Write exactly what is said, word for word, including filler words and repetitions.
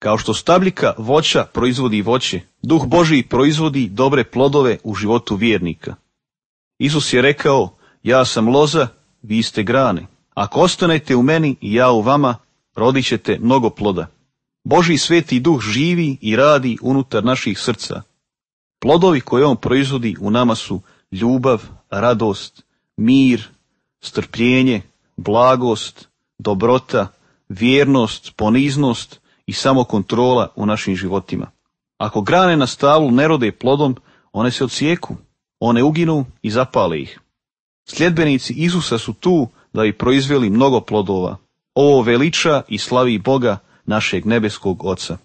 Kao što stabljika voća proizvodi voće, Duh Božji proizvodi dobre plodove u životu vjernika. Isus je rekao, ja sam loza, vi ste grane. Ako ostanete u meni i ja u vama, rodit ćete mnogo ploda. Božji sveti Duh živi i radi unutar naših srca. Plodovi koje on proizvodi u nama su ljubav, radost, mir, strpljenje, blagost, dobrota, vjernost, poniznost i samokontrola u našim životima. Ako grane na stablu ne rode plodom, one se odsijeku, one uginu i zapale ih. Sljedbenici Isusa su tu da bi proizveli mnogo plodova. Ovo veliča i slavi Boga, našeg nebeskog Oca.